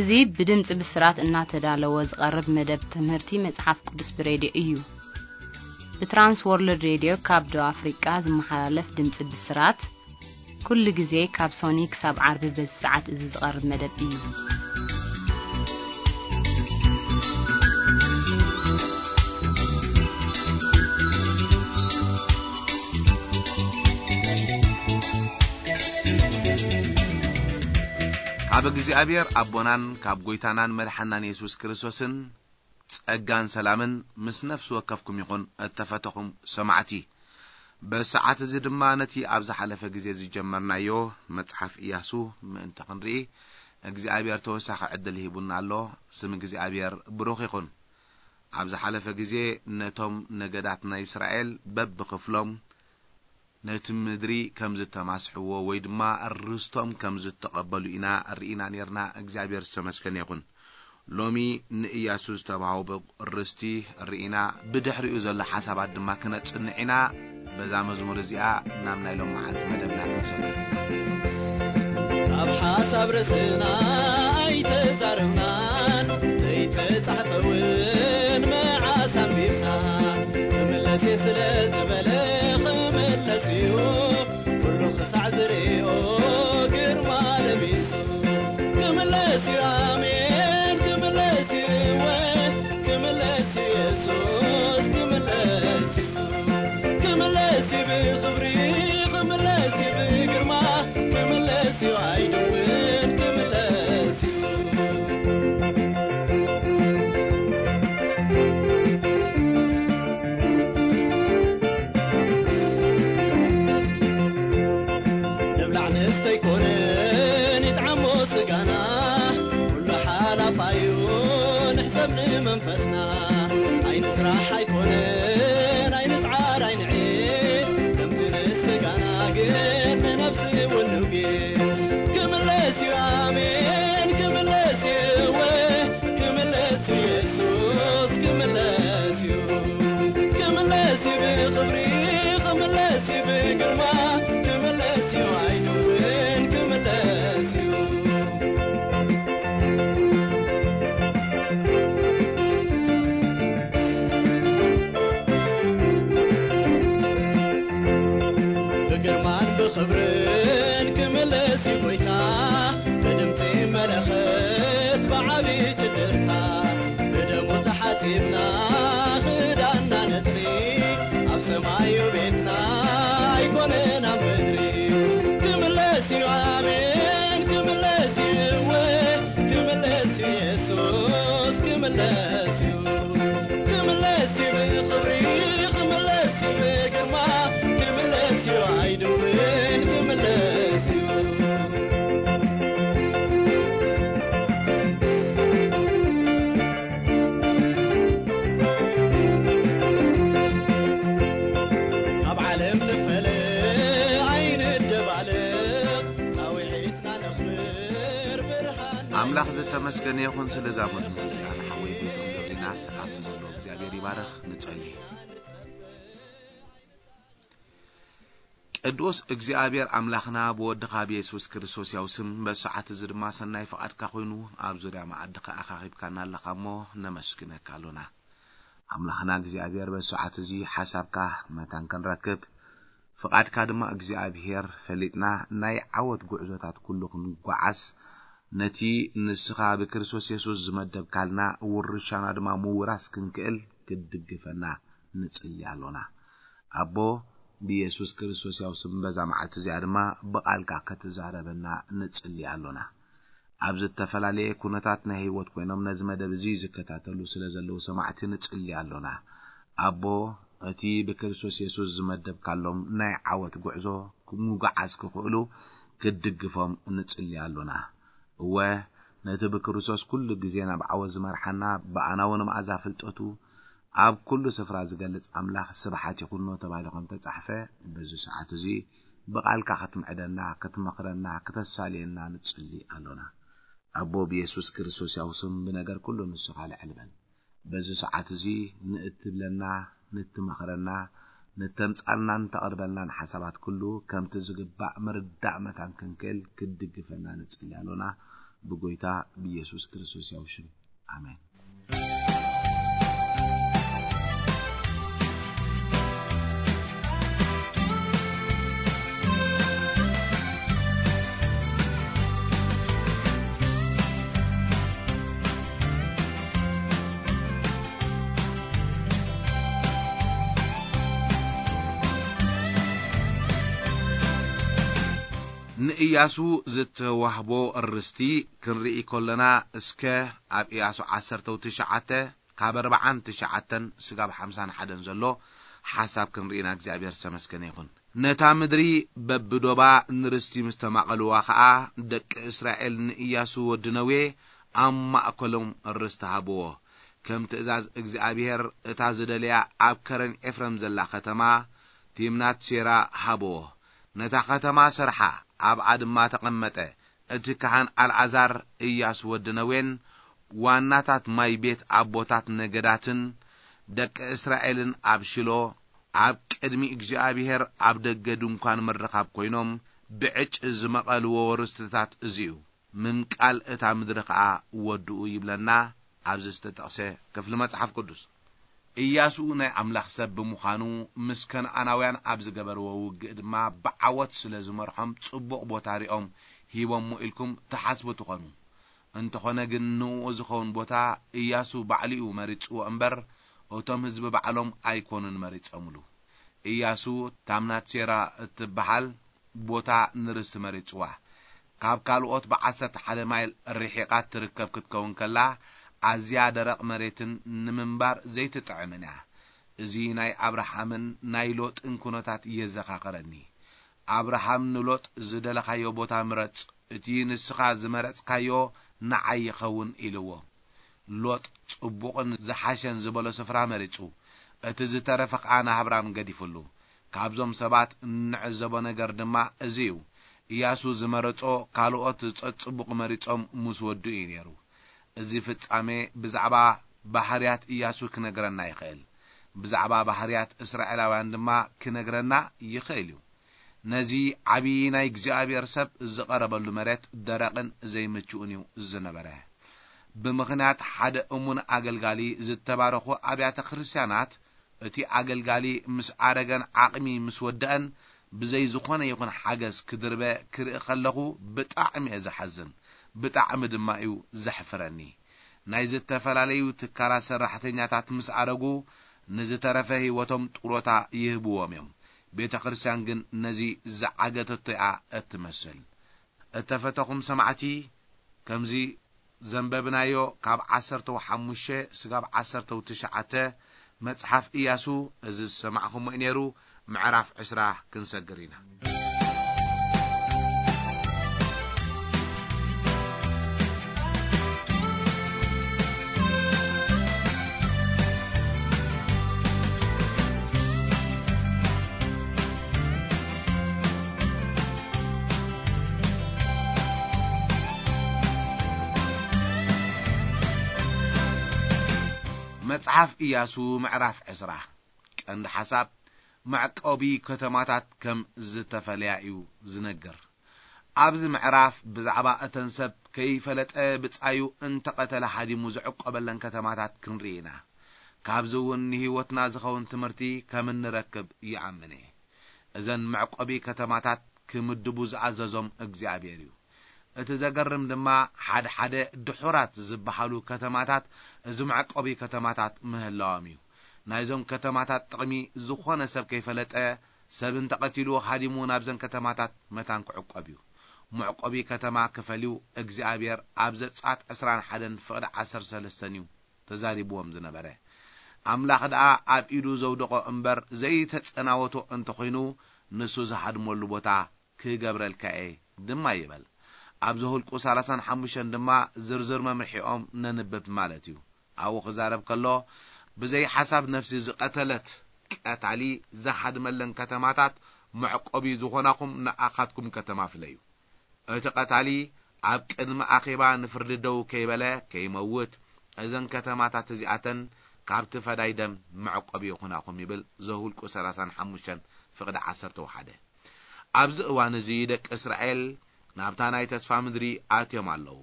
እዚ ብድምጺ ብስራት እናተዳለወ ዝቐርብ መደብ ትምህርቲ መጽሓፍ ቅዱስ ብሬድዮ እዩ። ብትራንስ ወርልድ ሬድዮ ካብ ደቡብ ኣፍሪቃ ዝመሓላለፍ ድምጺ ብስራት፣ ኩሉ ግዜ ካብ ሶኒ ክሳብ ዓርቢ በዚ ሰዓት እዚ ዝቐርብ መደብ እዩ። ካብ እግዚኣብሔር ኣቦናን ካብ ጐይታናን መድሓናን የሱስ ክርስቶስን ጸጋን ሰላምን ምስ ነፍሲ ወከፍኩም ይኹን፣ እተፈተኹም ሰማዕቲ። በሰዓት እዚ ድማ ነቲ ኣብ ዝሓለፈ ግዜ ዝጀመርናዮ መጽሓፍ ኢያሱ ምእንቲ ክንርኢ እግዚኣብሔር ተወሳኺ ዕድል ሂቡና ኣሎ። ስም እግዚኣብሔር ብሩኽ ይኹን። ኣብ ዝሓለፈ ግዜ ነቶም ነገዳት ናይ እስራኤል በብኽፍሎም ነቲ ምድሪ ከም ዝተማስሕዎ ወይ ድማ ርስቶም ከም ዝተቐበሉ ኢና ርኢና ኔርና። እግዚኣብሔር ዝተመስገነ ይኹን። ሎሚ ንእያሱ ዝተባህቦ ርስቲ ርኢና፣ ብድሕሪኡ ዘሎ ሓሳባት ድማ ክነጽንዕ ኢና። በዛ መዝሙር እዚኣ ናብ ናይ ሎመዓልቲ መደብና ክንሰግር ኢና። ኣብ ሓሳብ ርእስና ኣይተዛረብናን፣ ዘይተጻሕፈ እውን መዓስ ኣንቢብና። ክምለስ እየ ስለ ዝበለ ክምለስ እዩ፣ ኩሉ ክሳዕ ዝርእዮ ግርማ ለቢሱ። ክምለስ እዩ፣ ኣሜን፣ ክምለስ እዩ፣ እወ፣ ክምለስ እዩ፣ የሱስ ክምለስ እዩ። ክምለስ እዩ ብኽብሪ፣ ክምለስ እዩ ብግርማ፣ ክምለስ እዩ ኣይድውን፣ ክምለስ እዩ። ንብላዕ ንስተ ኣይኮነን ይጥዓሞ ስጋና፣ ኩሉ ሓላፋዩ ንሕሰብ ንመንፈስና። ኣይንስራሕ ኣይኮነን ኣይንጽዓር ኣይንዒ፣ ከምቲ ንስጋና ግን ንነፍሲ እውን ንውጊ። ክምለስ እዩ ኣሜን ክምለስ እዩ እወ፣ ክምለስ እዩ የሱስ ክምለስ እዩ። ክምለስ እዩ ብኽብሪ ክምለስ እዩ ብግርማ፣ ክምለስ እዩ ኣይድውን ክምለስ እዩ። ብግርማን ብኽብርን ክምለስ እዩ ጐይታ፣ ብድምጺ መለኸት ብዓቢ ጭድርታ፣ ብደሙ ተሓጺብና ክዳንና ነጽሪ፣ ኣብ ሰማዩ ቤትና ኣይኮነን ኣብ ምድሪ። ክምለስ እዩ ኣሜን ክምለስ እዩ እወ፣ ክምለስ እዩ የሱስ ክምለስ እዩ። ክምለስ እዩ ብኽብሪ ክምለስ እዩ ብግርማ፣ ክምለስ እዩ ኣይድውን ክምለስ እዩ። ካብ ዓለም ንፈለ ኣይንደባለቕ፣ ጻውዒትና ነኽብር ብርሃን ኣምላኽ ዝተመስገነ ይኹን። ስለዛ መዝሙር እዚኣ ንሓወይ ጎይትኦም ገብሪናስ ኣብቲ ዘሎ እግዚኣብሔር ይባረኽ። ንጸሊ። ቅዱስ እግዚኣብሔር ኣምላኽና ብወድኻ ብየሱስ ክርስቶስ ያው ስም በሰዓት እዚ ድማ ሰናይ ፍቓድካ ኮይኑ ኣብ ዙርያ መኣድኻ ኣኻኺብካና ኣለኻ እሞ ነመስግነካ ኣሎና። ኣምላኽና እግዚኣብሔር በሰዓት እዚ ሓሳብካ መታን ክንረክብ ፍቓድካ ድማ እግዚኣብሔር ፈሊጥና ናይ ዓወት ጉዕዞታት ኩሉ ክንጓዓዝ ነቲ ንስኻ ብክርስቶስ የሱስ ዝመደብካልና ውርሻና ድማ ምውራስ ክንክእል ክትድግፈና ንጽሊ ኣሎና። ኣቦ ብየሱስ ክርስቶስ ያው ስም በዛ መዓልቲ እዚኣ ድማ ብቓልካ ክትዛረበና ንጽሊ ኣሎና። ኣብ ዝተፈላለየ ኩነታት ናይ ህይወት ኮይኖም ነዚ መደብ እዚ ዝከታተሉ ስለ ዘለዉ ሰማዕቲ ንጽሊ ኣሎና። ኣቦ እቲ ብክርስቶስ የሱስ ዝመደብካሎም ናይ ዓወት ጉዕዞ ምጉዓዝ ክኽእሉ ክትድግፎም ንጽሊ ኣሎና። እወ ነቲ ብክርስቶስ ኩሉ ግዜ ናብ ዓወት ዝመርሓና ብኣናዊ ንመኣዛ ፍልጠቱ ኣብ ኩሉ ስፍራ ዝገልጽ ኣምላኽ ስብሓት ይኹኖ ተባሂሉ ከም ተጻሕፈ በዚ ሰዓት እዚ ብቓልካ ክትምዕደና ክትመኽረና ክተሳልየና ንጽሊ ኣሎና። ኣቦ ብየሱስ ክርስቶስ ያው ስም ብነገር ኩሉ ንስኻ ልዕል በል። በዚ ሰዓት እዚ ንእትብለና ንትመኽረና ንተምጻልናን ተቕርበልናን ሓሳባት ኩሉ ከምቲ ዝግባእ ምርዳእ መታን ክንክእል ክትድግፈና ንጽሊ ኣሎና። ብጎይታ ብኢየሱስ ክርስቶስ ያው ሽም። ኣሜን። ንእያሱ ዝተዋህቦ ርስቲ ክንርኢ ከለና፣ እስከ ኣብ እያሱ ዓሰርተ ትሽዓተ ካብ ኣርብዓን ትሽዓተን ስጋብ ሓምሳን ሓደን ዘሎ ሓሳብ ክንርኢና እግዚኣብሔር ዝተመስገነ ይኹን። ነታ ምድሪ በብዶባ ንርስቲ ምስ ተማቐልዋ ኸኣ፣ ደቂ እስራኤል ንእያሱ ወዲ ነዌ ኣብ ማእከሎም ርስቲ ሃብዎ። ከም ትእዛዝ እግዚኣብሔር እታ ዝደለያ ኣብ ከረን ኤፍረም ዘላ ከተማ ቲምናት ሴራ ሃብዎ። ነታ ከተማ ሰርሓ፣ ኣብኣ ድማ ተቐመጠ። እቲ ካህን ኣልዓዛር፣ እያሱ ወዲ ነዌን ዋናታት ማይ ቤት ኣቦታት ነገዳትን ደቂ እስራኤልን ኣብ ሽሎ ኣብ ቅድሚ እግዚኣብሔር ኣብ ደገ ድንኳን ምርኻብ ኮይኖም ብዕጭ ዝመቐልዎ ርስትታት እዚ እዩ። ምምቃል እታ ምድሪ ኸኣ ወድኡ ይብለና ኣብዚ ዝተጠቕሰ ክፍሊ መጽሓፍ ቅዱስ። ኢያሱ ናይ ኣምላኽ ሰብ ብምዃኑ፣ ምስ ከነኣናውያን ኣብ ዝገበርዎ ውግእ ድማ ብዓወት ስለ ዝመርሖም፣ ጽቡቕ ቦታ ሪኦም ሂቦሞ ኢልኩም ትሓስቡ ትኾኑ። እንተኾነ ግን፣ ንእኡ ዝኸውን ቦታ ኢያሱ ባዕሉ እዩ መሪጽዎ እምበር፣ እቶም ህዝቢ ባዕሎም ኣይኮኑን መሪጸምሉ። ኢያሱ፣ ታምናት ሴራ እትበሃል ቦታ ንርስቲ መሪጽዋ። ካብ ካልኦት ብዓሰርተ ሓደ ማይል ርሒቓ ትርከብ ክትከውን ከላ፣ ኣዝያ ደረቕ መሬትን ንምንባር ዘይትጥዕምን እያ። እዚ ናይ ኣብርሃምን ናይ ሎጥን ኩነታት የዘኻኽረኒ። ኣብርሃም ንሎጥ፣ "ዝደለኻዮ ቦታ ምረጽ፣ እቲ ንስኻ ዝመረጽካዮ ንዓይ ይኸውን" ኢልዎ። ሎጥ ጽቡቕን ዝሓሸን ዝበሎ ስፍራ መሪጹ፣ እቲ ዝተረፈ ኸኣ ንኣብራም ገዲፍሉ። ካብዞም ሰባት እንዕዘቦ ነገር ድማ እዚ እዩ። ኢያሱ ዝመረጾ ካልኦት ጸጽቡቕ መሪጾም ምስ ወድኡ እዩ ነይሩ። እዚ ፍጻሜ ብዛዕባ ባህርያት ኢያሱ ክነግረና ይኽእል። ብዛዕባ ባህርያት እስራኤላውያን ድማ ክነግረና ይኽእል እዩ። ነዚ ዓብዪ ናይ እግዚኣብሔር ሰብ ዝቐረበሉ መሬት ደረቕን ዘይምችኡን እዩ ዝነበረ። ብምኽንያት ሓደ እሙን ኣገልጋሊ ዝተባረኹ ኣብያተ ክርስቲያናት፣ እቲ ኣገልጋሊ ምስ ኣረገን ዓቕሚ ምስ ወደአን፣ ብዘይ ዝኾነ ይኹን ሓገዝ ክድርበ ክርኢ ከለኹ ብጣዕሚ እየ ዝሓዝን፣ ብጣዕሚ ድማ እዩ ዘሕፍረኒ። ናይ ዝተፈላለዩ ትካላት ሰራሕተኛታት ምስ ኣረጉ፣ ንዝተረፈ ህይወቶም ጥሮታ ይህብዎም እዮም። ቤተ ክርስቲያን ግን ነዚ ዝዓገተቶ እያ እትመስል። እተፈተኹም ሰማዕቲ፣ ከምዚ ዘንበብናዮ ካብ ዓሰርተ ሓሙሽተ ስጋብ ዓሰርተ ትሽዓተ መጽሓፍ ኢያሱ፣ እዚ ዝሰማዕኹሞ እዩ ነይሩ። ምዕራፍ ዕስራ ክንሰግር ኢና። መጽሓፍ ኢያሱ ምዕራፍ ዕስራ። ቀንዲ ሓሳብ፣ መዕቆቢ ከተማታት ከም ዝተፈለያ እዩ ዝነግር። ኣብዚ ምዕራፍ ብዛዕባ እተን ሰብ ከይፈለጠ ብጻዩ እንተቐተለ ሃዲሙ ዝዕቆበለን ከተማታት ክንርኢ ኢና። ካብዚ እውን ንህይወትና ዝኸውን ትምህርቲ ከም እንረክብ ይኣምን እየ። እዘን መዕቆቢ ከተማታት ክምድቡ ዝኣዘዞም እግዚኣብሔር እዩ። እቲ ዘገርም ድማ፣ ሓደ ሓደ ድሑራት ዝበሃሉ ከተማታት እዚ መዕቆቢ ከተማታት ምህላዎም እዩ። ናይዞም ከተማታት ጥቕሚ ዝኾነ ሰብ ከይፈለጠ፣ ሰብ እንተቐቲሉ ሃዲሙ ናብዘን ከተማታት መታን ክዕቆብ እዩ። መዕቆቢ ከተማ ክፈልዩ እግዚኣብሔር ኣብ ዘጸኣት ዕስራን ሓደን ፍቕዲ ዓሰርተ ሰለስተን እዩ ተዛሪብዎም ዝነበረ። ኣምላኽ ደኣ ኣብ ኢዱ ዘውደቖ እምበር ዘይተጸናወቶ እንተኾይኑ፣ ንሱ ዝሃድመሉ ቦታ ክገብረልካ እየ ድማ ይበል። ኣብ ዘሁልቁ ሰላሳን ሓሙሽተን ድማ ዝርዝር መምርሒኦም ነንብብ ማለት እዩ። ኣብኡ ክዛረብ ከሎ፣ ብዘይ ሓሳብ ነፍሲ ዝቐተለት ቀታሊ ዝሃድመለን ከተማታት መዕቆቢ ዝኾናኹም ንኣኻትኩም ከተማ ፍለዩ። እቲ ቀታሊ ኣብ ቅድሚ ኣኼባ ንፍርዲ ደው ከይበለ ከይመውት፣ እዘን ከተማታት እዚኣተን ካብቲ ፈዳይ ደም መዕቆቢ ይኹናኹም ይብል ዘሁልቁ ሰላሳን ሓሙሽተን ፍቕዲ ዓሰርተ ሓደ። ኣብዚ እዋን እዚ ደቂ እስራኤል ናብታ ናይ ተስፋ ምድሪ ኣትዮም ኣለዉ።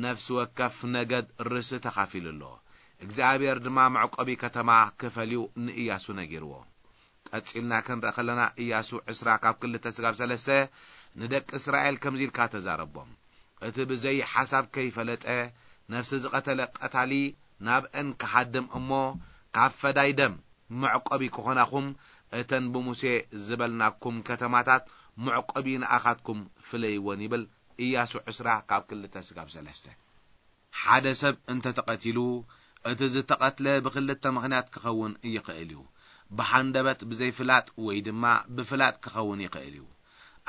ነፍሲ ወከፍ ነገድ ርስቲ ተኻፊሉ ኣሎ። እግዚኣብሔር ድማ መዕቆቢ ከተማ ክፈልዩ ንእያሱ ነጊርዎ። ቀጺልና ክንርኢ ከለና፣ እያሱ ዕስራ ካብ ክልተ ስጋብ ሰለስተ ንደቂ እስራኤል ከምዚ ኢልካ ተዛረቦም። እቲ ብዘይ ሓሳብ ከይፈለጠ ነፍሲ ዝቐተለ ቀታሊ ናብአን ክሃድም እሞ፣ ካብ ፈዳይ ደም መዕቆቢ ክኾናኹም፣ እተን ብሙሴ ዝበልናኩም ከተማታት መዕቆቢ ንኣኻትኩም ፍለይወን ይብል። እያሱ ዕስራ ካብ ክልተ ስጋብ ሰለስተ። ሓደ ሰብ እንተ ተቐቲሉ፣ እቲ ዝተቐትለ ብኽልተ ምኽንያት ክኸውን ይኽእል እዩ። ብሃንደበት ብዘይፍላጥ ወይ ድማ ብፍላጥ ክኸውን ይኽእል እዩ።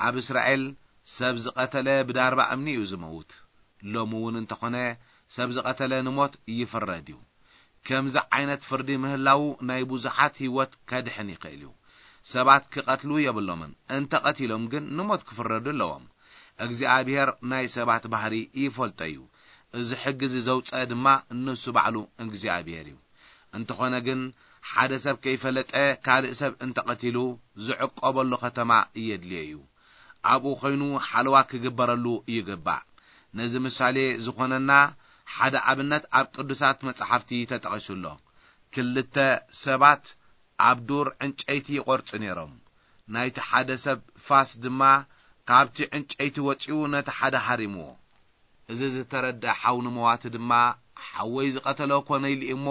ኣብ እስራኤል ሰብ ዝቐተለ ብዳርባ እምኒ እዩ ዝመውት። ሎሚ እውን እንተኾነ ሰብ ዝቐተለ ንሞት ይፍረድ እዩ። ከምዚ ዓይነት ፍርዲ ምህላዉ ናይ ብዙሓት ህይወት ከድሕን ይኽእል እዩ። ሰባት ክቐትሉ የብሎምን። እንተ ቀቲሎም ግን ንሞት ክፍረዱ ኣለዎም። እግዚኣብሔር ናይ ሰባት ባህሪ ይፈልጦ እዩ። እዚ ሕጊ እዚ ዘውፀአ ድማ ንሱ ባዕሉ እግዚኣብሔር እዩ። እንተኾነ ግን ሓደ ሰብ ከይፈለጠ ካልእ ሰብ እንተ ቀቲሉ ዝዕቆበሉ ከተማ የድልዮ እዩ። ኣብኡ ኮይኑ ሓለዋ ክግበረሉ ይግባእ። ነዚ ምሳሌ ዝኾነና ሓደ ኣብነት ኣብ ቅዱሳት መጻሕፍቲ ተጠቒሱ ኣሎ። ክልተ ሰባት ኣብ ዱር ዕንጨይቲ ይቖርጹ ነይሮም። ናይቲ ሓደ ሰብ ፋስ ድማ ካብቲ ዕንጨይቲ ወጺኡ ነቲ ሓደ ሃሪምዎ። እዚ ዝተረድአ ሓው ንመዋቲ ድማ፣ ሓወይ ዝቐተሎ ኮነ ኢሉ እሞ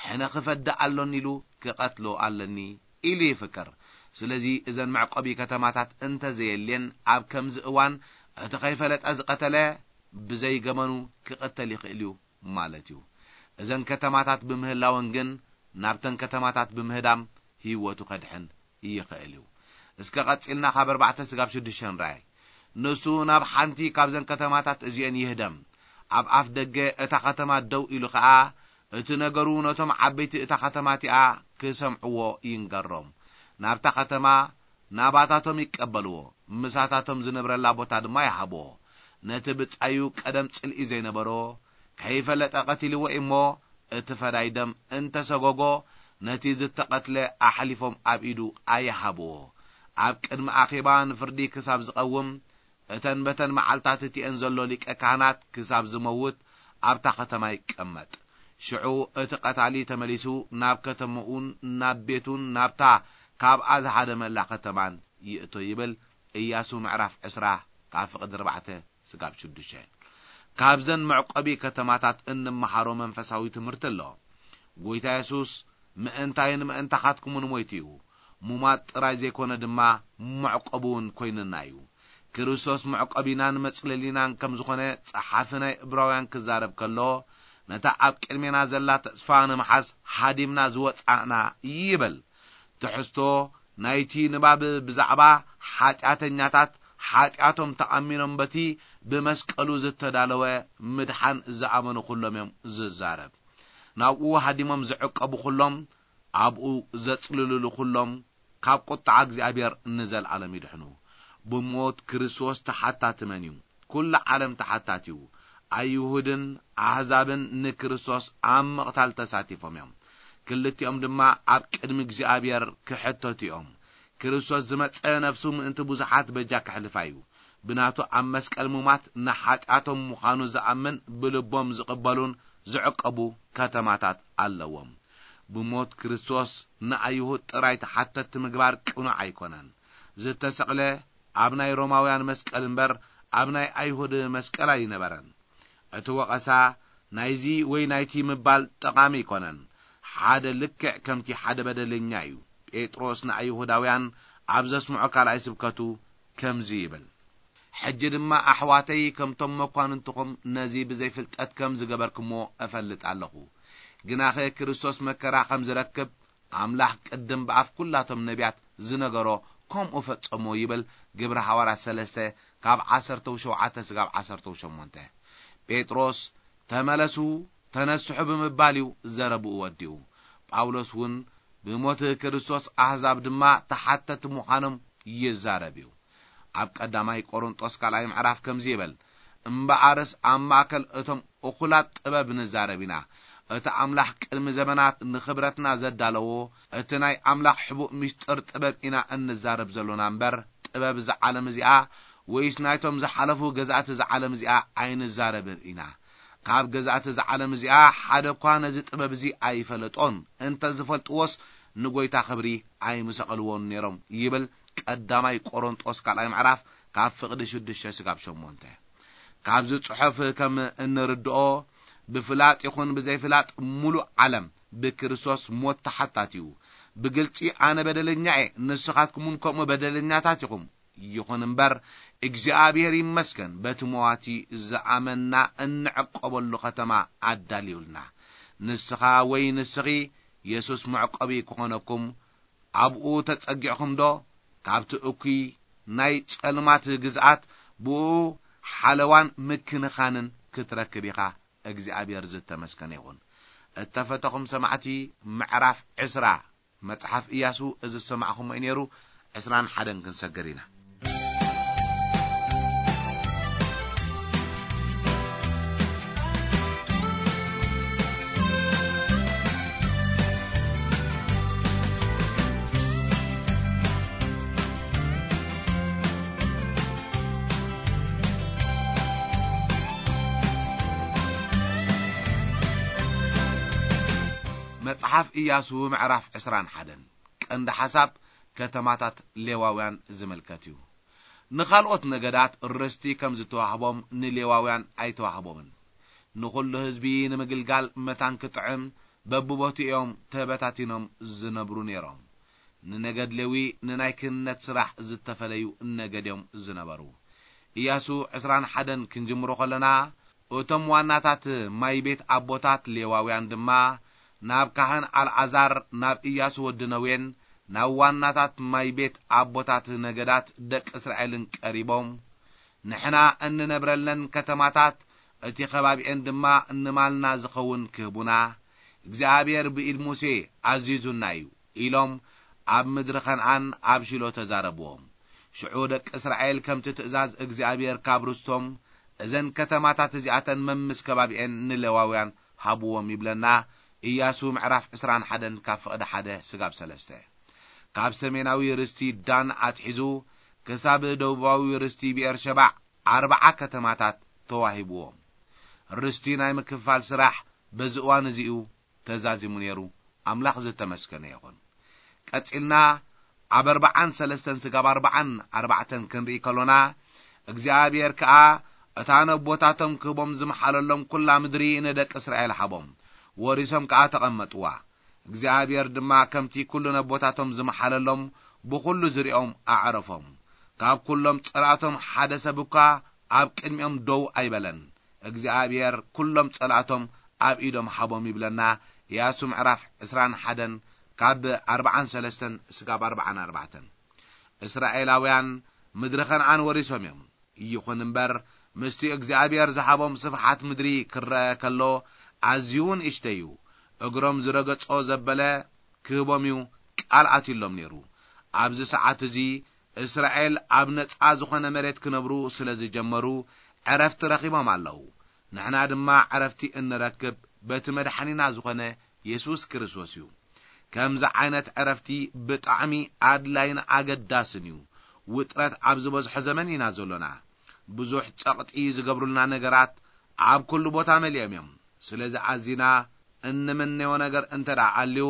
ሕነ ክፈዲ ኣሎኒ ኢሉ ክቐትሎ ኣለኒ ኢሉ ይፍክር። ስለዚ እዘን መዕቆቢ ከተማታት እንተ ዘየልየን ኣብ ከምዚ እዋን እቲ ከይፈለጠ ዝቐተለ ብዘይ ገመኑ ክቐተል ይኽእል እዩ ማለት እዩ። እዘን ከተማታት ብምህላወን ግን ናብተን ከተማታት ብምህዳም ህይወቱ ከድሕን ይኽእል እዩ። እስከ ቀጺልና ካብ ኣርባዕተ ስጋብ ሽዱሽተ ንርኣይ። ንሱ ናብ ሓንቲ ካብዘን ከተማታት እዚአን ይህደም። ኣብ ኣፍ ደገ እታ ከተማ ደው ኢሉ ኸኣ እቲ ነገሩ ነቶም ዓበይቲ እታ ከተማ እቲኣ ክሰምዕዎ ይንገሮም። ናብታ ከተማ ናባታቶም ይቀበልዎ፣ ምሳታቶም ዝነብረላ ቦታ ድማ ይሃብዎ። ነቲ ብጻዩ ቀደም ጽልኢ ዘይነበሮ ከይፈለጠ ቀቲልዎ እሞ፣ እቲ ፈዳይ ደም እንተሰጎጎ፣ ነቲ ዝተቐትለ ኣሕሊፎም ኣብ ኢዱ ኣይሃብዎ። ኣብ ቅድሚ ኣኼባ ንፍርዲ ክሳብ ዝቐውም፣ እተን በተን መዓልታት እቲአን ዘሎ ሊቀ ካህናት ክሳብ ዝመውት ኣብታ ከተማ ይቀመጥ። ሽዑ እቲ ቀታሊ ተመሊሱ ናብ ከተማኡን ናብ ቤቱን ናብታ ካብኣ ዝሃደመላ ከተማን ይእቶ ይብል። ኢያሱ ምዕራፍ ዕስራ ካብ ፍቕዲ ኣርባዕተ ስጋብ ሽዱሽተ። ካብዘን መዕቆቢ ከተማታት እንመሃሮ መንፈሳዊ ትምህርቲ ኣሎ። ጎይታ የሱስ ምእንታይን ምእንታኻትኩምን ሞይቱ እዩ። ሙማት ጥራይ ዘይኮነ ድማ መዕቆቢ እውን ኮይንና እዩ። ክርስቶስ መዕቆቢናን መጽለሊናን ከም ዝኾነ ጸሓፊ ናይ ዕብራውያን ክዛረብ ከሎ፣ ነታ ኣብ ቅድሜና ዘላ ተስፋ ንምሓዝ ሃዲምና ዝወጻእና ይብል። ትሕዝቶ ናይቲ ንባብ ብዛዕባ ሓጢኣተኛታት ሓጢኣቶም ተኣሚኖም በቲ ብመስቀሉ ዝተዳለወ ምድሓን ዝኣመኑ ኩሎም እዮም ዝዛረብ። ናብኡ ሃዲሞም ዝዕቀቡ ኩሎም፣ ኣብኡ ዘጽልልሉ ኩሎም ካብ ቁጥዓ እግዚኣብሔር ንዘለኣለም ይድሕኑ። ብሞት ክርስቶስ ተሓታቲ መን እዩ? ኩሉ ዓለም ተሓታቲ እዩ። ኣይሁድን ኣህዛብን ንክርስቶስ ኣብ ምቕታል ተሳቲፎም እዮም። ክልቲኦም ድማ ኣብ ቅድሚ እግዚኣብሔር ክሕተቱ እዮም። ክርስቶስ ዝመጸ ነፍሱ ምእንቲ ብዙሓት በጃ ከሕልፋ እዩ። ብናቱ ኣብ መስቀል ሙማት ንሓጢኣቶም ምዃኑ ዝኣምን ብልቦም ዝቕበሉን ዝዕቀቡ ከተማታት ኣለዎም። ብሞት ክርስቶስ ንኣይሁድ ጥራይ ተሓተቲ ምግባር ቅኑዕ ኣይኮነን። ዝተሰቕለ ኣብ ናይ ሮማውያን መስቀል እምበር ኣብ ናይ ኣይሁድ መስቀል ኣይነበረን። እቲ ወቐሳ ናይዚ ወይ ናይቲ ምባል ጠቓሚ ኣይኮነን። ሓደ ልክዕ ከምቲ ሓደ በደለኛ እዩ። ጴጥሮስ ንኣይሁዳውያን ኣብ ዘስምዖ ካልኣይ ስብከቱ ከምዚ ይብል፣ ሕጂ ድማ ኣሕዋተይ ከምቶም መኳንንትኹም ነዚ ብዘይፍልጠት ከም ዝገበርክሞ እፈልጥ ኣለኹ። ግናኸ ክርስቶስ መከራ ከም ዝረክብ ኣምላኽ ቅድም ብኣፍ ኩላቶም ነቢያት ዝነገሮ ከምኡ ፈጸሞ ይብል። ግብሪ ሃዋርያት ሰለስተ ካብ ዓሰርተ ሸውዓተ ስጋብ ዓሰርተ ሸሞንተ። ጴጥሮስ ተመለሱ፣ ተነስሑ ብምባል እዩ ዘረብኡ ወዲኡ። ጳውሎስ እውን ብሞት ክርስቶስ ኣህዛብ ድማ ተሓተቲ ምዃኖም ይዛረብ እዩ። ኣብ ቀዳማይ ቆሮንጦስ ካልኣይ ምዕራፍ ከምዚ ይብል፣ እምበኣርስ ኣብ ማእከል እቶም እኹላት ጥበብ ንዛረብ ኢና። እቲ ኣምላኽ ቅድሚ ዘመናት ንኽብረትና ዘዳለዎ፣ እቲ ናይ ኣምላኽ ሕቡእ ምስጢር ጥበብ ኢና እንዛረብ ዘሎና እምበር፣ ጥበብ እዛ ዓለም እዚኣ ወይስ ናይቶም ዝሓለፉ ገዛእቲ እዛ ዓለም እዚኣ ኣይንዛረብን ኢና። ካብ ገዛእቲ እዛ ዓለም እዚኣ ሓደ እኳ ነዚ ጥበብ እዚ ኣይፈለጦን። እንተ ዝፈልጥዎስ ንጎይታ ክብሪ ኣይምሰቐልዎን ነይሮም ይብል ቀዳማይ ቆሮንጦስ ካልኣይ ምዕራፍ ካብ ፍቕዲ ሽዱሽተ ስጋብ ሸሞንተ። ካብዚ ጽሑፍ ከም እንርድኦ ብፍላጥ ይኹን ብዘይፍላጥ ሙሉእ ዓለም ብክርስቶስ ሞት ተሓታት እዩ። ብግልጺ ኣነ በደለኛ እየ፣ ንስኻትኩም እውን ከምኡ በደለኛታት ኢኹም። ይኹን እምበር እግዚኣብሔር ይመስገን በቲ መዋቲ ዝኣመንና እንዕቆበሉ ከተማ ኣዳልዩልና። ንስኻ ወይ ንስኺ የሱስ መዕቆቢ ክኾነኩም ኣብኡ ተጸጊዕኹም ዶ? ካብቲ እኩይ ናይ ጸልማት ግዝኣት ብኡ ሓለዋን ምክንኻንን ክትረክብ ኢኻ። እግዚኣብሔር ዝተመስገነ ይኹን። እተፈተኹም ሰማዕቲ፣ ምዕራፍ ዕስራ መጽሓፍ ኢያሱ እዚ ዝሰማዕኹሞ እዩ ነይሩ። ዕስራን ሓደን ክንሰግር ኢና። መጽሓፍ ኢያሱ ምዕራፍ ዕስራን ሓደን። ቀንዲ ሓሳብ ከተማታት ሌዋውያን ዝምልከት እዩ። ንኻልኦት ነገዳት ርስቲ ከም ዝተዋህቦም ንሌዋውያን ኣይተዋህቦምን። ንኹሉ ህዝቢ ንምግልጋል መታን ክጥዕም በብቦትኡ እዮም ተበታቲኖም ዝነብሩ ነይሮም። ንነገድ ሌዊ ንናይ ክህነት ስራሕ ዝተፈለዩ ነገድ እዮም ዝነበሩ። ኢያሱ ዕስራን ሓደን ክንጅምሮ ከለና፣ እቶም ዋናታት ማይ ቤት ኣቦታት ሌዋውያን ድማ ናብ ካህን ኣልዓዛር፣ ናብ ኢያሱ ወዲ ነዌን ናብ ዋናታት ማይ ቤት ኣቦታት ነገዳት ደቂ እስራኤልን ቀሪቦም፣ ንሕና እንነብረለን ከተማታት፣ እቲ ከባቢኤን ድማ ንማልና ዝኸውን ክህቡና እግዚኣብሔር ብኢድ ሙሴ ኣዚዙና እዩ ኢሎም ኣብ ምድሪ ኸንዓን ኣብ ሽሎ ተዛረብዎም። ሽዑ ደቂ እስራኤል ከምቲ ትእዛዝ እግዚኣብሔር ካብ ርስቶም እዘን ከተማታት እዚኣተን መምስ ከባቢኤን ንሌዋውያን ሃብዎም ይብለና። ኢያሱ ምዕራፍ ዕስራን ሓደን ካብ ፍቕዲ ሓደ ስጋብ ሰለስተ። ካብ ሰሜናዊ ርስቲ ዳን ኣትሒዙ ክሳብ ደቡባዊ ርስቲ ብኤርሸባዕ ኣርብዓ ከተማታት ተዋሂብዎም። ርስቲ ናይ ምክፋል ስራሕ በዚ እዋን እዚኡ ተዛዚሙ ነይሩ። ኣምላኽ ዝተመስገነ ይኹን። ቀጺልና ኣብ ኣርብዓን ሰለስተን ስጋብ ኣርብዓን ኣርባዕተን ክንርኢ ከሎና፣ እግዚኣብሔር ከኣ እታ ነቦታቶም ክህቦም ዝመሓለሎም ኩላ ምድሪ ንደቂ እስራኤል ሃቦም፣ ወሪሶም ከኣ ተቐመጥዋ። እግዚኣብሔር ድማ ከምቲ ኩሉ ነቦታቶም ዝመሓለሎም ብኹሉ ዙርያኦም ኣዕረፎም። ካብ ኩሎም ጸላእቶም ሓደ ሰብ እኳ ኣብ ቅድሚኦም ደው ኣይበለን። እግዚኣብሔር ኩሎም ጸላእቶም ኣብ ኢዶም ሃቦም ይብለና። ኢያሱ ምዕራፍ ዕስራን ሓደን ካብ ኣርብዓን ሰለስተን ስጋብ ኣርብዓን ኣርባዕተን። እስራኤላውያን ምድሪ ኸነዓን ወሪሶም እዮም። ይኹን እምበር፣ ምስቲ እግዚኣብሔር ዝሃቦም ስፍሓት ምድሪ ክረአ ከሎ፣ ኣዝዩ ንእሽተይ እዩ። እግሮም ዝረገጾ ዘበለ ክህቦም እዩ ቃል ኣትዩሎም ነይሩ። ኣብዚ ሰዓት እዚ እስራኤል ኣብ ነጻ ዝኾነ መሬት ክነብሩ ስለ ዝጀመሩ፣ ዕረፍቲ ረኺቦም ኣለዉ። ንሕና ድማ ዕረፍቲ እንረክብ በቲ መድሓኒና ዝኾነ የሱስ ክርስቶስ እዩ። ከምዚ ዓይነት ዕረፍቲ ብጣዕሚ ኣድላይን ኣገዳስን እዩ። ውጥረት ኣብ ዝበዝሖ ዘመን ኢና ዘሎና። ብዙሕ ጸቕጢ ዝገብሩልና ነገራት ኣብ ኩሉ ቦታ መሊኦም እዮም። ስለዚ ኣዚና እንምነዮ ነገር እንተ ደኣ ኣልዩ፣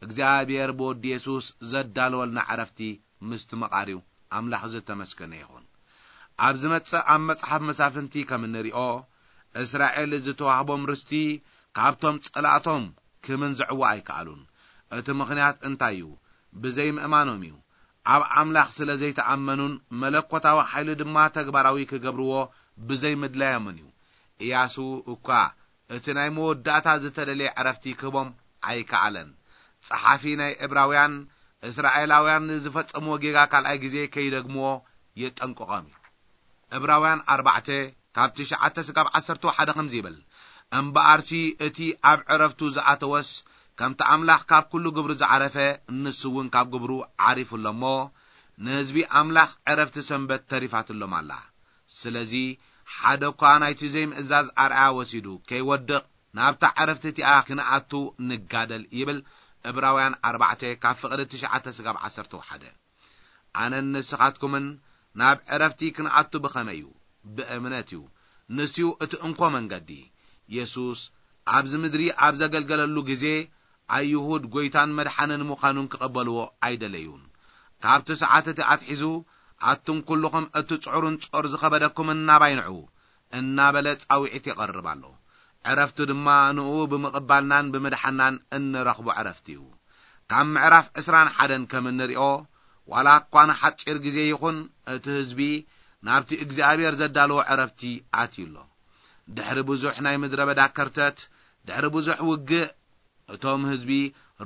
እግዚኣብሔር ብወዲ የሱስ ዘዳለወልና ዕረፍቲ ምስትምቓር እዩ። ኣምላኽ ዝተመስገነ ይኹን። ኣብ ዝመጽእ ኣብ መጽሓፍ መሳፍንቲ ከም እንሪኦ፣ እስራኤል ዝተዋህቦም ርስቲ ካብቶም ጸላእቶም ክምንዝዕዎ ኣይከኣሉን። እቲ ምኽንያት እንታይ እዩ? ብዘይ ምእማኖም እዩ። ኣብ ኣምላኽ ስለ ዘይተኣመኑን መለኮታዊ ሓይሊ ድማ ተግባራዊ ክገብርዎ ብዘይ ምድላዮምን እዩ። ኢያሱ እኳ እቲ ናይ መወዳእታ ዝተደልየ ዕረፍቲ ክህቦም ኣይከኣለን። ጸሓፊ ናይ ዕብራውያን፣ እስራኤላውያን ንዝፈጸምዎ ጌጋ ካልኣይ ግዜ ከይደግምዎ የጠንቅቖም እዩ። ዕብራውያን ኣርባዕተ ካብ ትሽዓተ ስጋብ ዓሰርተ ሓደ ከምዚ ይብል፣ እምበኣርሲ እቲ ኣብ ዕረፍቱ ዝኣተወስ ከምቲ ኣምላኽ ካብ ኩሉ ግብሩ ዝዓረፈ፣ ንሱ እውን ካብ ግብሩ ዓሪፉ ኣሎ እሞ፣ ንህዝቢ ኣምላኽ ዕረፍቲ ሰንበት ተሪፋትሎም ኣላ። ስለዚ ሓደ እኳ ናይቲ ዘይምእዛዝ ኣርኣያ ወሲዱ ከይወድቕ ናብታ ዕረፍቲ እቲኣ ክንኣቱ ንጋደል ይብል ዕብራውያን ኣርባዕተ ካብ ፍቕዲ ትሽዓተ ስጋብ ዓሰርተ ሓደ። ኣነን ንስኻትኩምን ናብ ዕረፍቲ ክንኣቱ ብኸመይ እዩ? ብእምነት እዩ። ንሱ እቲ እንኮ መንገዲ። የሱስ ኣብዚ ምድሪ ኣብ ዘገልገለሉ ግዜ፣ ኣይሁድ ጐይታን መድሓንን ምዃኑን ክቐበልዎ ኣይደለዩን። ካብቲ ሰዓት እቲ ኣትሒዙ፣ ኣቱም ኩልኹም እቲ ጽዑርን ጾር ዝኸበደኩምን ናባይ ንዑ፣ እናበለ ጻውዒት የቐርብ ኣሎ። ዕረፍቱ ድማ ንኡ ብምቕባልናን ብምድሓናን እንረኽቦ ዕረፍቲ እዩ። ካብ ምዕራፍ ዕስራን ሓደን ከም እንሪኦ፣ ዋላ እኳ ንሓጺር ግዜ ይኹን፣ እቲ ህዝቢ ናብቲ እግዚኣብሔር ዘዳለዎ ዕረፍቲ ኣትዩ ኣሎ። ድሕሪ ብዙሕ ናይ ምድረ በዳ ከርተት፣ ድሕሪ ብዙሕ ውግእ፣ እቶም ህዝቢ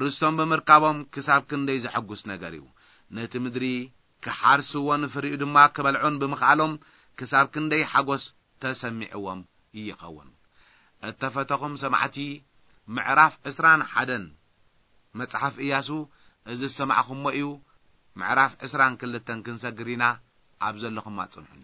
ርስቶም ብምርካቦም ክሳብ ክንደይ ዘሐጉስ ነገር እዩ። ነቲ ምድሪ ክሓርስዎን ፍሪኡ ድማ ክበልዑን ብምኽኣሎም ክሳብ ክንደይ ሓጎስ ተሰሚዕዎም ይኸውን። እተፈተኹም ሰማዕቲ፣ ምዕራፍ ዕስራን ሓደን መጽሓፍ ኢያሱ፣ እዚ ዝሰማዕኹሞ እዩ። ምዕራፍ ዕስራን ክልተን ክንሰግር ኢና። ኣብ ዘለኹም ኣጽንሑኒ።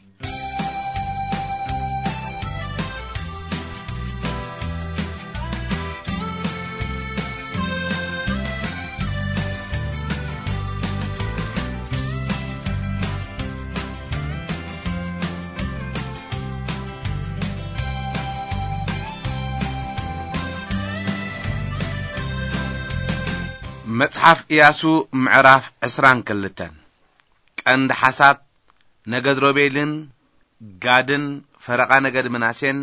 መጽሓፍ ኢያሱ ምዕራፍ ዕስራን ክልተን። ቀንዲ ሓሳብ፣ ነገድ ሮቤልን ጋድን ፈረቓ ነገድ ምናሴን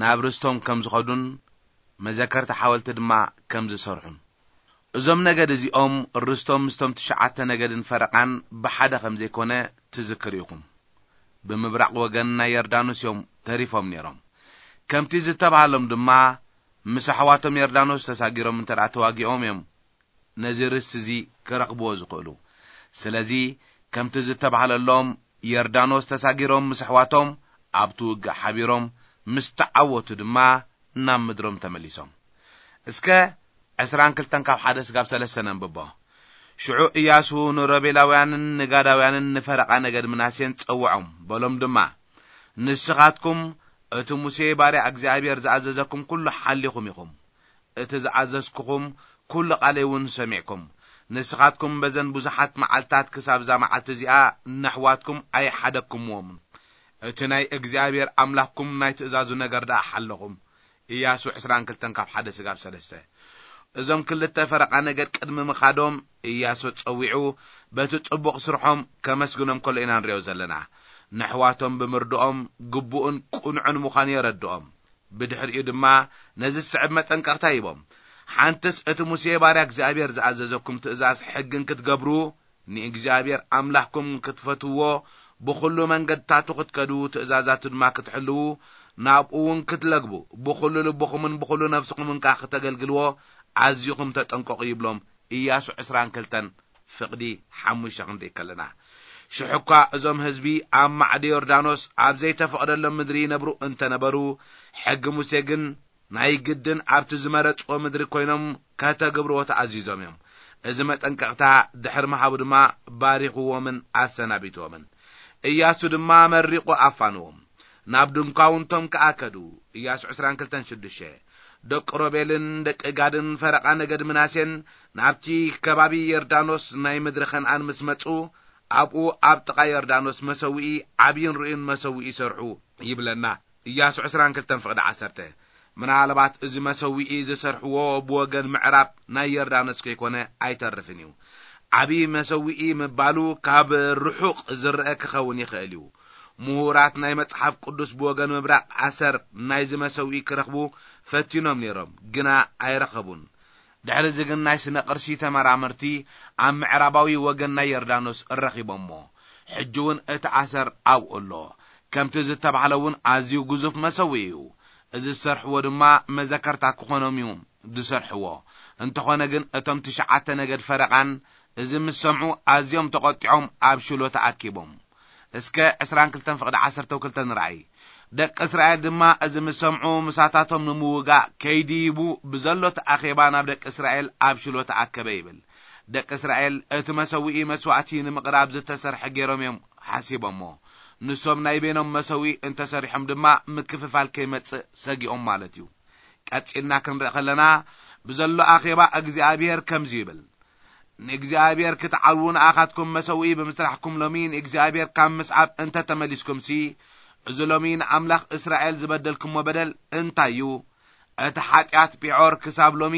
ናብ ርስቶም ከም ዝኸዱን መዘከርታ ሓወልቲ ድማ ከም ዝሰርሑን። እዞም ነገድ እዚኦም ርስቶም ምስቶም ትሽዓተ ነገድን ፈረቓን ብሓደ ከም ዘይኮነ ትዝክር ኢኹም። ብምብራቕ ወገን ናይ ዮርዳኖስ እዮም ተሪፎም ነይሮም። ከምቲ ዝተባሃሎም ድማ ምስ ኣሕዋቶም ዮርዳኖስ ተሳጊሮም እንተ ደኣ ተዋጊኦም እዮም ነዚ ርስቲ እዚ ክረኽብዎ ዝኽእሉ። ስለዚ ከምቲ ዝተባህለሎም ዮርዳኖስ ተሳጊሮም ምስ ኣሕዋቶም ኣብቲ ውግእ ሓቢሮም ምስ ተዓወቱ ድማ ናብ ምድሮም ተመሊሶም። እስከ ዕስራን ክልተን ካብ ሓደ ስጋብ ሰለስተ ነንብቦ። ሽዑ ኢያሱ ንሮቤላውያንን ንጋዳውያንን ንፈረቓ ነገድ ምናሴን ጸውዖም፣ በሎም ድማ፣ ንስኻትኩም እቲ ሙሴ ባርያ እግዚኣብሔር ዝኣዘዘኩም ኩሉ ሓሊኹም ኢኹም። እቲ ዝኣዘዝኩኹም ኩሉ ቃለይ እውን ሰሚዕኩም። ንስኻትኩም በዘን ብዙሓት መዓልታት ክሳብ እዛ መዓልቲ እዚኣ ነሕዋትኩም ኣይሓደግኩምዎምን። እቲ ናይ እግዚኣብሔር ኣምላኽኩም ናይ ትእዛዙ ነገር ደኣ ሓለኹም። ኢያሱ ዕስራን ክልተን ካብ ሓደ ስጋብ ሰለስተ። እዞም ክልተ ፈረቓ ነገድ ቅድሚ ምኻዶም ኢያሱ ጸዊዑ በቲ ጽቡቕ ስርሖም ከመስግኖም ከሎ ኢና ንሪኦ ዘለና። ነሕዋቶም ብምርድኦም ግቡእን ቅኑዕን ምዃኑ የረድኦም። ብድሕሪኡ ድማ ነዚ ዝስዕብ መጠንቀቕታ ሂቦም። ሓንትስ እቲ ሙሴ ባርያ እግዚኣብሔር ዝኣዘዘኩም ትእዛዝ ሕግን ክትገብሩ፣ ንእግዚኣብሔር ኣምላኽኩም ክትፈትውዎ፣ ብኹሉ መንገድታቱ ክትከዱ፣ ትእዛዛቱ ድማ ክትሕልዉ፣ ናብኡ እውን ክትለግቡ፣ ብኹሉ ልብኹምን ብኹሉ ነፍስኹምን ከኣ ክተገልግልዎ ኣዚኹም ተጠንቀቑ ይብሎም። ኢያሱ ዕስራን ክልተን ፍቕዲ ሓሙሽተ ክንርኢ ከለና። ሽሕ እኳ እዞም ህዝቢ ኣብ ማዕዶ ዮርዳኖስ ኣብ ዘይተፈቕደሎም ምድሪ ይነብሩ እንተነበሩ፣ ሕጊ ሙሴ ግን ናይ ግድን ኣብቲ ዝመረጽዎ ምድሪ ኮይኖም ከተግብርዎ ተኣዚዞም እዮም። እዚ መጠንቀቕታ ድሕሪ ምሃቡ ድማ ባሪኽዎምን ኣሰናቢትዎምን። ኢያሱ ድማ መሪቑ ኣፋንዎም። ናብ ድንኳውንቶም ከኣ ከዱ። ኢያሱ ዕስራን ክልተን ሽዱሽተ። ደቂ ሮቤልን ደቂ ጋድን ፈረቓ ነገድ ምናሴን ናብቲ ከባቢ ዮርዳኖስ ናይ ምድሪ ከነኣን ምስ መጹ፣ ኣብኡ ኣብ ጥቓ ዮርዳኖስ መሰውኢ፣ ዓብይን ርኡይን መሰውኢ ይሰርሑ ይብለና። ኢያሱ ዕስራን ክልተን ፍቕዲ ዓሰርተ። ምናልባት እዚ መሰውኢ ዝሰርሕዎ ብወገን ምዕራብ ናይ ዮርዳኖስ ከይኮነ ኣይተርፍን እዩ። ዓብዪ መሰውኢ ምባሉ ካብ ርሑቕ ዝረአ ክኸውን ይኽእል እዩ። ምሁራት ናይ መጽሓፍ ቅዱስ ብወገን ምብራቕ ኣሰር ናይዚ መሰውኢ ክረኽቡ ፈቲኖም ነይሮም፣ ግና ኣይረኸቡን። ድሕሪ እዚ ግን ናይ ስነ ቅርሲ ተመራመርቲ ኣብ ምዕራባዊ ወገን ናይ ዮርዳኖስ ረኺቦሞ። ሕጂ እውን እቲ ኣሰር ኣብኡ ኣሎ። ከምቲ ዝተባህለ እውን ኣዝዩ ግዙፍ መሰውኢ እዩ። እዚ ዝሰርሕዎ ድማ መዘከርታ ክኾኖም እዩ ዝሰርሕዎ። እንተኾነ ግን እቶም ትሽዓተ ነገድ ፈረቓን እዚ ምስ ሰምዑ ኣዝዮም ተቖጢዖም ኣብ ሽሎ ተኣኪቦም። እስከ ዕስራን ክልተን ፍቕዲ ዓሰርተ ክልተ ንርኣይ። ደቂ እስራኤል ድማ እዚ ምስ ሰምዑ ምሳታቶም ንምውጋእ ከይድይቡ ብዘሎ እቲ ኣኼባ ናብ ደቂ እስራኤል ኣብ ሽሎ ተኣከበ ይብል። ደቂ እስራኤል እቲ መሰውኢ መስዋእቲ ንምቕራብ ዝተሰርሐ ገይሮም እዮም ሓሲቦሞ። ንሶም ናይ በይኖም መሰውኢ እንተሰሪሖም ድማ ምክፍፋል ከይመጽእ ሰጊኦም ማለት እዩ። ቀጺልና ክንርኢ ከለና ብዘሎ ኣኼባ እግዚኣብሔር ከምዚ ይብል፣ ንእግዚኣብሔር ክትዓልዉ ንኣኻትኩም መሰውኢ ብምስራሕኩም ሎሚ ንእግዚኣብሔር ካብ ምስዓብ እንተ ተመሊስኩምሲ፣ እዚ ሎሚ ንኣምላኽ እስራኤል ዝበደልኩሞ በደል እንታይ እዩ? እቲ ሓጢኣት ፒዖር ክሳብ ሎሚ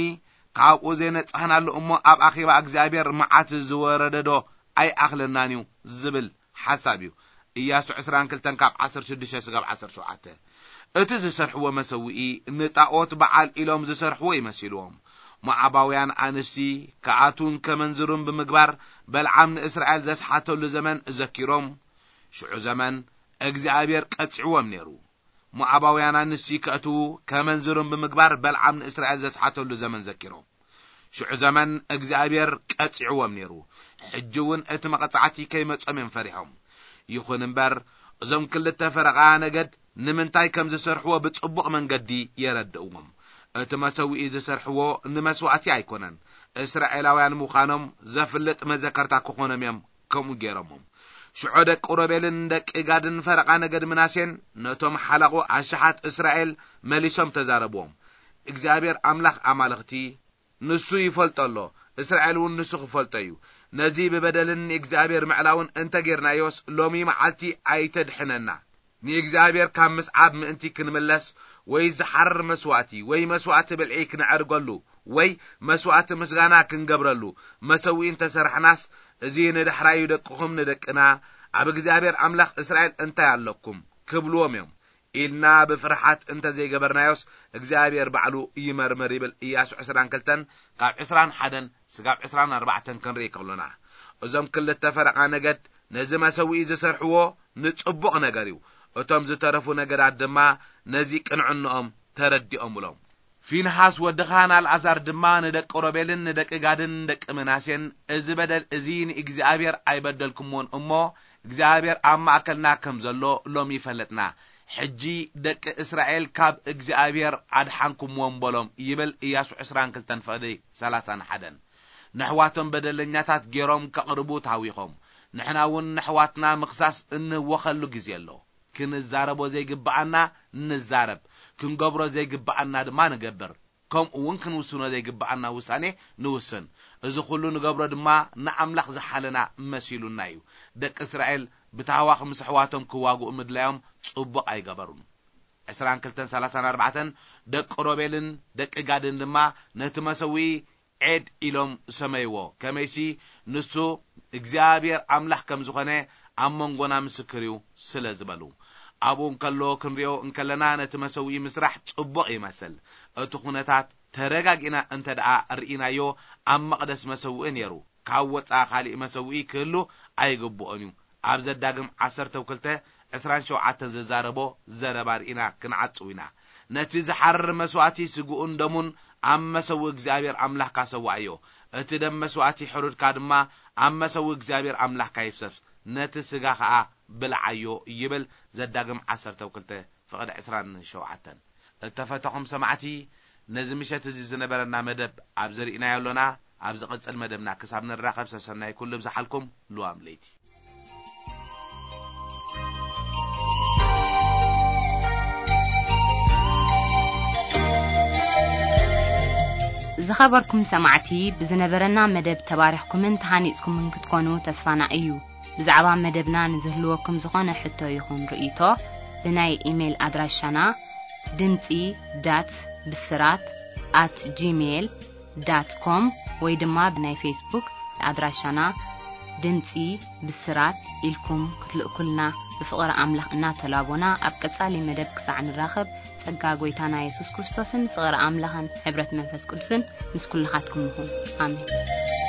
ካብኡ ዘይነጻህናሉ እሞ ኣብ ኣኼባ እግዚኣብሔር መዓት ዝወረደዶ ኣይኣኽለናን እዩ ዝብል ሓሳብ እዩ። ኢያሱ ዕስራን ክልተን ካብ ዓሰርተ ሽዱሽተ ስጋብ ዓሰርተ ሸውዓተ። እቲ ዝሰርሕዎ መሰውኢ ንጣኦት በዓል ኢሎም ዝሰርሕዎ ይመሲልዎም። ሞዓባውያን ኣንስቲ ክኣትዉን ከመንዝሩን ብምግባር በልዓም ንእስራኤል ዘስሓተሉ ዘመን ዘኪሮም። ሽዑ ዘመን እግዚኣብሔር ቀጺዕዎም ነይሩ። ሞዓባውያን ኣንስቲ ከእትዉ ከመንዝሩን ብምግባር በልዓም ንእስራኤል ዘስሓተሉ ዘመን ዘኪሮም። ሽዑ ዘመን እግዚኣብሔር ቀጺዕዎም ነይሩ። ሕጂ እውን እቲ መቐጻዕቲ ከይመጾም እዮም ፈሪሖም። ይኹን እምበር እዞም ክልተ ፈረቓ ነገድ ንምንታይ ከም ዝሰርሕዎ ብጽቡቕ መንገዲ የረድእዎም። እቲ መሰውኢ ዝሰርሕዎ ንመስዋእቲ ኣይኮነን። እስራኤላውያን ምዃኖም ዘፍልጥ መዘከርታ ክኾኖም እዮም ከምኡ ገይሮሞም። ሽዑ ደቂ ሮቤልን ደቂ ጋድን ፈረቓ ነገድ ምናሴን ነቶም ሓለቑ ኣሽሓት እስራኤል መሊሶም ተዛረብዎም። እግዚኣብሔር ኣምላኽ ኣማልኽቲ ንሱ ይፈልጦ ኣሎ፣ እስራኤል እውን ንሱ ክፈልጦ እዩ። ነዚ ብበደልን ንእግዚኣብሔር ምዕላውን እንተ ጌርናዮስ፣ ሎሚ መዓልቲ ኣይተድሕነና። ንእግዚኣብሔር ካብ ምስዓብ ምእንቲ ክንምለስ፣ ወይ ዝሓርር መስዋእቲ፣ ወይ መስዋእቲ ብልዒ ክነዕርገሉ፣ ወይ መስዋእቲ ምስጋና ክንገብረሉ፣ መሰውኢ እንተ ሰርሕናስ፣ እዚ ንዳሕራዩ ደቅኹም ንደቅና፣ ኣብ እግዚኣብሔር ኣምላኽ እስራኤል እንታይ ኣለኩም? ክብልዎም እዮም። ኢልና ብፍርሓት እንተ ዘይገበርናዮስ እግዚኣብሔር ባዕሉ ይመርምር ይብል ኢያሱ ዕስራን ክልተን ካብ ዕስራን ሓደን ስጋብ ዕስራን ኣርባዕተን ክንርኢ ከሎና። እዞም ክልተ ፈረቓ ነገድ ነዚ መሰውኢ ዝሰርሕዎ ንጽቡቕ ነገር እዩ። እቶም ዝተረፉ ነገዳት ድማ ነዚ ቅንዕንኦም ተረዲኦምሎም። ፊንሃስ ወድኻን ኣልኣዛር ድማ ንደቂ ሮቤልን ንደቂ ጋድን ደቂ ምናሴን፣ እዚ በደል እዚ ንእግዚኣብሔር ኣይበደልኩምዎን እሞ እግዚኣብሔር ኣብ ማእከልና ከም ዘሎ ሎሚ ይፈለጥና። ሕጂ ደቂ እስራኤል ካብ እግዚኣብሔር ኣድሓንኩምዎም በሎም ይብል ኢያሱ ዕስራን ክልተን ፍቕዲ ሰላሳን ሓደን። ነሕዋቶም በደለኛታት ገይሮም ከቕርቡ ታዊኾም። ንሕና እውን ነሕዋትና ምኽሳስ እንህወኸሉ ግዜ ኣሎ። ክንዛረቦ ዘይግብኣና ንዛረብ፣ ክንገብሮ ዘይግብኣና ድማ ንገብር። ከምኡ እውን ክንውስኖ ዘይግብኣና ውሳኔ ንውስን። እዚ ኩሉ ንገብሮ ድማ ንኣምላኽ ዝሓለና መሲሉና እዩ። ደቂ እስራኤል ብታህዋኽ ምስ ኣሕዋቶም ክዋግኡ ምድላዮም ጽቡቕ ኣይገበሩን። ዕስራን ክልተን ሰላሳን ኣርባዕተን ደቂ ሮቤልን ደቂ ጋድን ድማ ነቲ መሰውኢ ዔድ ኢሎም ሰመይዎ። ከመይሲ ንሱ እግዚኣብሔር ኣምላኽ ከም ዝኾነ ኣብ መንጎና ምስክር እዩ ስለ ዝበሉ። ኣብኡ እንከሎ ክንሪኦ እንከለና ነቲ መሰውኢ ምስራሕ ጽቡቕ ይመስል። እቲ ኩነታት ተረጋጊእና እንተ ደኣ ርኢናዮ ኣብ መቕደስ መሰውኢ ነይሩ። ካብ ወጻኢ ካሊእ መሰውኢ ክህሉ ኣይግብኦን እዩ። ኣብ ዘዳግም ዓሰርተ ክልተ ዕስራን ሸውዓተን ዝዛረቦ ዘረባ ርኢና ክንዓጽው ኢና። ነቲ ዝሓርር መስዋእቲ ስግኡን ደሙን ኣብ መሰውኢ እግዚኣብሔር ኣምላኽካ ሰዋእዮ። እቲ ደም መስዋእቲ ሕሩድካ ድማ ኣብ መሰውኢ እግዚኣብሔር ኣምላኽካ ይፍሰስ። ነቲ ስጋ ኸኣ ብልዓዮ ይብል ዘዳግም ዓሰርተ ክልተ ፍቕዲ ዕስራን ሸውዓተን። እተፈተኹም ሰማዕቲ፣ ነዚ ምሸት እዚ ዝነበረና መደብ ኣብዚ ርኢናዮ ኣሎና። ኣብ ዝቕጽል መደብና ክሳብ ንራኸብ ሰሰናይ ኩሉ ብዝሓልኩም ልዋም ለይቲ። ዝኸበርኩም ሰማዕቲ፣ ብዝነበረና መደብ ተባሪኽኩምን ተሃኒጽኩምን ክትኮኑ ተስፋና እዩ። ብዛዕባ መደብና ንዝህልወኩም ዝኾነ ሕቶ ይኹን ርእይቶ፣ ብናይ ኢሜይል ኣድራሻና ድምጺ ዳት ብስራት ኣት ጂሜይል ዳት ኮም ወይ ድማ ብናይ ፌስቡክ ኣድራሻና ድምጺ ብስራት ኢልኩም ክትልእኩልና ብፍቕሪ ኣምላኽ እናተላቦና፣ ኣብ ቀጻሊ መደብ ክሳዕ ንራኸብ፣ ጸጋ ጐይታና የሱስ ክርስቶስን ፍቕሪ ኣምላኽን ሕብረት መንፈስ ቅዱስን ምስ ኩልኻትኩም ይኹን። ኣሜን።